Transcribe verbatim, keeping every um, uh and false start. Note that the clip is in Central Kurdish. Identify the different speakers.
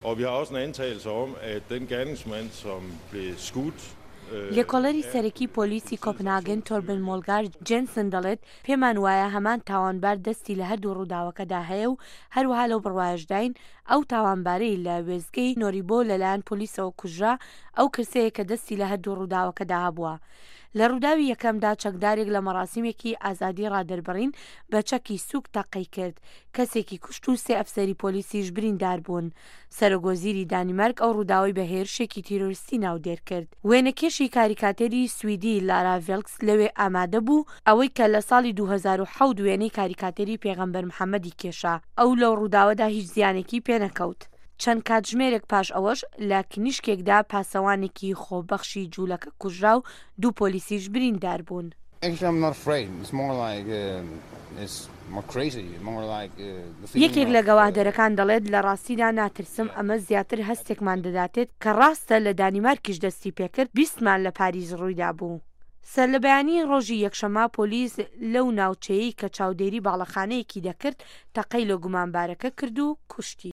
Speaker 1: Og vi har også en antagelse om, at den gerningsmand, som blev skudt,
Speaker 2: لێکۆڵەری سەرەکی پۆلیسی کۆپنهاگن تۆربن مۆلگار جێنسن دەڵێت پێمان وایە هەمان تاوانبار دەستی لە هەردوو ڕووداوەکەدا هەیە و هەروەها لەو بڕوایەشداین ئەو تاوانبارەی لە وێستگەی نۆریبۆ لەلایەن پۆلیسەوە کوژرا ئەو کەسەیە کە دەستی لە هەردوو ڕووداوەکەدا هەبووە. لە ڕووداوی یەکەمدا چەکدارێک لە مەراسیمێکی ئازادی ڕادەربڕین بە چەکی سوک تەقەی کرد، کەسێکی کوشت و سێ ئەفسەری پۆلیسیش بریندار بوون. سەرۆک وەزیری دانیمارک ئەو ڕووداوەی بە هێرشێکی تیرۆریستی ناودێر کرد. وێنەکێشی کاریکاتێری سویدی لارا ڤێلکس لەوێ ئامادە بوو، ئەوەی کە لە ساڵی دوو هەزار و حەوت وێنەی کاریکاتێری پێغەمبەر محەممەدی کێشا، ئەو لەو ڕووداوەدا هیچ زیانێکی پێنەکەوت. چەند کاتژمێرێک پاش ئەوەش لە کنیشکێکدا پاسەوانێکی خۆبەخشی جوولەکە کوژرا و دوو پۆلیسیش بریندار بوون. یەکێک لە گەواهدەرەکان دەڵێت لە ڕاستیدا ناترسم، ئەمە زیاتر هەستێکمان دەداتێت کە ڕاستە لە دانیمارکیش دەستی پێکرد، بیستمان لە پاریس ڕوویدابوو. سەرلەبەیانیی ڕۆژی یەکشەممە پۆلیس لەو ناوچەیەی کە چاودێری باڵەخانەیەکی دەکرد تەقەی لە گومانبارەکە کرد و کوشتی.